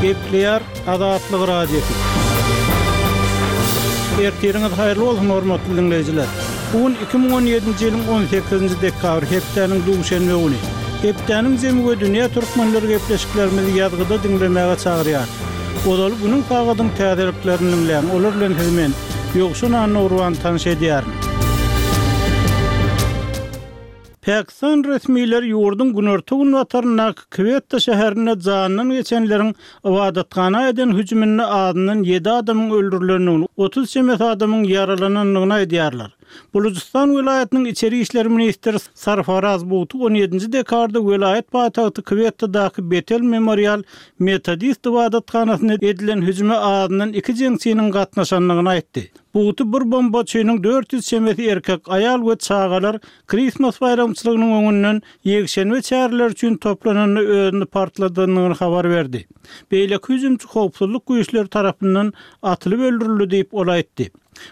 Gepleýär Azatlyk Radiosy. Ertiriňiz haýyrly bolsun, hormatly diňleýjiler! Bu gün 2017-nji ýylyň 18-nji dekabry, hepdäniň duşenbe güni. Hepdäniň jemi we dünýä türkmenleri gepleşiklerimizi ýazgyda diňlemäge çagyrýar. Ozaly günüň sagadyň täzeliklerini diňläň, olar bilen sizi men, Ýowşan Annagurban tanyş edýärin. Pakistan resmileri ýurduň günorta-günbataryndaky Kwetta şäherinde janyndan geçenleriň ybadathana eden hüjüminde azyndan ýedi adamyň öldürilendigini, 30 çemesi adamyň ýaralanandygyny aýdýarlar. Bulujystan welaýatynyň içeri işler ministri Sarfaraz Bugty on ýedinji dekabrda welaýat paýtagty Kwettadaky Betel Memorial metodist ybadathanasyna edilen hüjüme azyndan iki jeňçiniň gatnaşandygyny aýtdy. Bugty bir bombaçynyň 400 çemesi erkek, aýal we çagalar Kristmas baýramçylygynyň öňünden ýekşenbe çäreleri üçin toplananda özüni partladandygyny habar berdi. Beýleki hüjümçi howpsuzlyk güýçleri tarapyndan atylyp öldürildi diýip, ol aýtdy.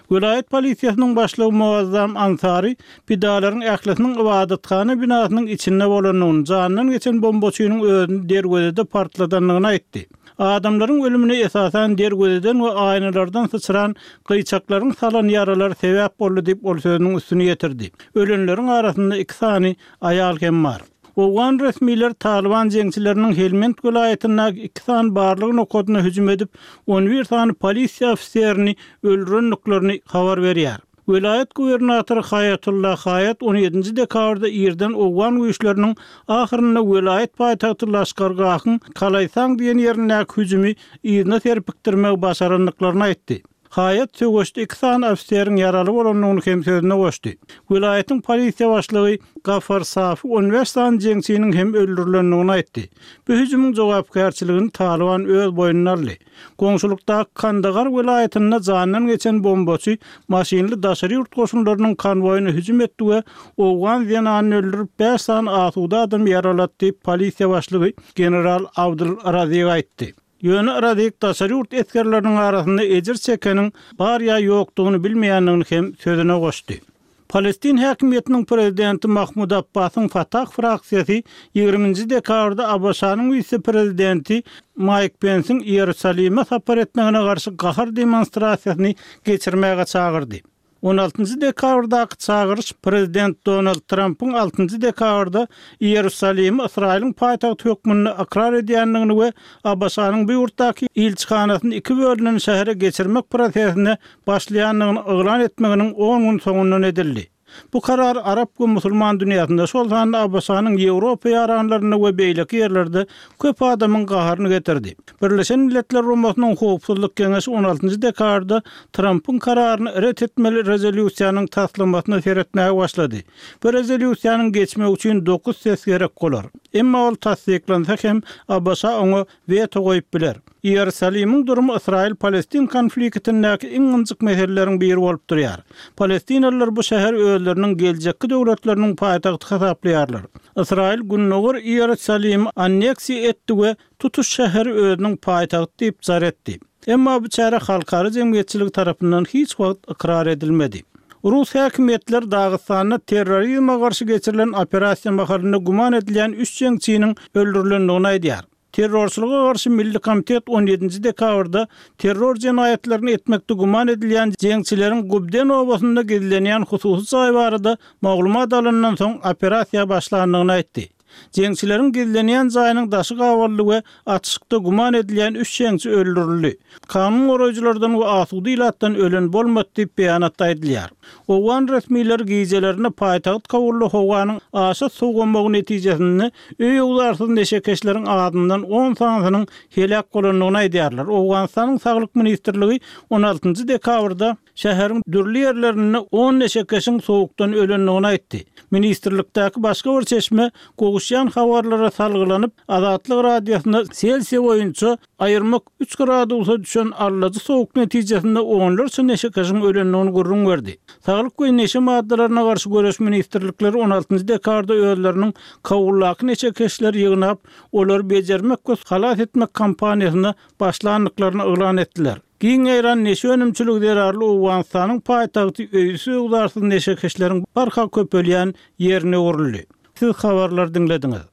Welaýat polisiýasynyň başlygy Muazzam Ansary pidalaryň ählisiniň ybadathana binasynyň içinde bolandygyny, janyndan geçen bombaçynyň özüni derwezede partladandygyny aýtdy. Adamlaryň ölümine esasan derwezeden we aýnalardan syçran gyýçaklaryň salan ýaralary sebäp boldy diýip, ol sözüniň üstüni ýetirdi. Ölenleriň arasynda iki sany aýal hem bar. Owgan resmileri Talyban jeňçileriniň Helmend welaýatyndaky iki sany barlag nokadyna hüjüm edip, on bir sany polisiýa ofiserini öldürendiklerini habar berýär. Welaýat gubernatory Haýatullah Haýat on ýedinji dekabrda irden owgan güýçleriniň ahyrynda welaýat paýtagty Laşkargahyň Kalaýsang diýen ýerindäki hüjümi yzyna serpikdirmegi başarandyklaryny aýtdy. Haýat söweşde iki sany ofiseriň ýaraly bolandygyny hem sözüne goşdy. Welaýatyň polisiýa başlygy Gafar Safi on bäş sany jeňçiniň hem öldürilendigini aýtdy. Bu hüjümiň jogapkärçiligini Talyban öz boýnuna aldy. Goňşulykdaky Kandagar welaýatynda jandan geçen bombaçy maşynly daşary ýurt goşunlarynyň konwoýyna hüjüm etdi we owgan zenanyny öldürip, bäş sany asuda adamy ýaralady diýip, polisiýa başlygy general Abdul Razik aýtdy. Ýöne Razik daşary ýurt esgerleriniň arasynda ejir çekeniň bar ýa ýokdugyny bilmeýändigini hem sözüne goşdy. Palestin häkimiýetiniň prezidenti Mahmud Abbasyň Fatah fraksiýasy ýigriminji dekabrda ABŞ-nyň wise-prezidenti Maýk Pensiň Iýerusalime sapar etmegine garşy gahar demonstrasiýasyny geçirmäge çagyrdy. On altynjy dekabrdaky çagyryş prezident Donald Trampyň altynjy dekabrda Iýerusalimi Ysraýylyň paýtagty hökmünde ykrar edýändigini we ABŞ-nyň bu ýurtdaky ilçihanasyny iki bölünen şähere geçirmek prosesine başlaýandygyny yglan etmeginiň on gün soňundan edildi. Bu karar arap we musulman dünýäsinde, şol sanda ABŞ-nyň Ýewropa ýaranlarynda we beýleki ýerlerde köp adamyň gaharyny getirdi. Birleşen Milletler Guramasynyň Howpsuzlyk Geňeşi on altynjy dekabrda Trampyň kararyny ret etmeli rezolýusiýanyň taslamasyna seretmäge başlady. Bu rezolýusiýanyň geçmegi üçin dokuz ses gerek bolar. Emma ol tassyklansa hem, ABŞ oňa weto goýup biler. Iýerusalimiň durumy Ysraýyl-Palestin konfliktindäki iň ynjyk meseleleriň biri bolup durýar. Palestinalylar bu şäheri özleriniň geljekki döwletleriniň paýtagty hasaplaýarlar. Ysraýyl Gündogar Iýerusalimi anneksiýa etdi we tutuş şäheri özüniň paýtagty diýip jar etdi. Emma bu çäre halkara jemgyýetçiligi tarapyndan hiç wagt ykrar edilmedi. Rus häkimiýetleri Dagystanda terrorizme garşy geçirilen operasiýa mahalynda güman edilýän üç jeňçiniň öldürilendigini aýdýar. Terrorçylyga garşy milli komitet on ýedinji dekabrda terror jenaýatlaryny etmekde güman edilýän jeňçileriň Gubden obasynda gizlenýän hususy jaý barada maglumat alandan soň operasiýa başlandygyny aýtdy. Jeňçileriň gizlenýän jaýynyň daşy gabaldy we atyşykda güman edilýän üç jeňçi öldürildi. Kanun goraýjylardan we asuda ilatdan ölen bolmady diýip, beýanatda aýdylýar. Owgan resmileri gijelerine paýtagt Kabulda howanyň aşa sowamagy netijesinde öý-öwzarsyz neşekeşleriň azyndan on sanysynyň heläk bolandygyny aýdýarlar. Owganystanyň Saglyk ministrligi on altynjy dekabrda şäheriň dürli ýerlerinde on neşekeşiň sowukdan ölendigini aýtdy. Ministrlikdäki başga bir çeşme gowuşýan habarlara salgylanyp, Azatlyk Radiosyna Selsiýa boýunça Aýyrmak üç gradusa düşen allajy sowuk netijesinde onlarça neşekeşiň ölendigini gürrüň berdi. Saglyk we neşe maddalaryna garşy göreş ministrlikleri on altynjy dekabrda özleriniň Kabuldaky neşekeşleri ýygnap, olary bejermek we halas etmek kampaniýasyna başlandyklaryny yglan etdiler. Giň ýaýran neşe önümçiligi zerarly Owganystanyň paýtagty öýsüz-öwzarsyz neşekeşleriň barha köpelýän ýerine öwrüldi. Siz habarlary diňlediňiz.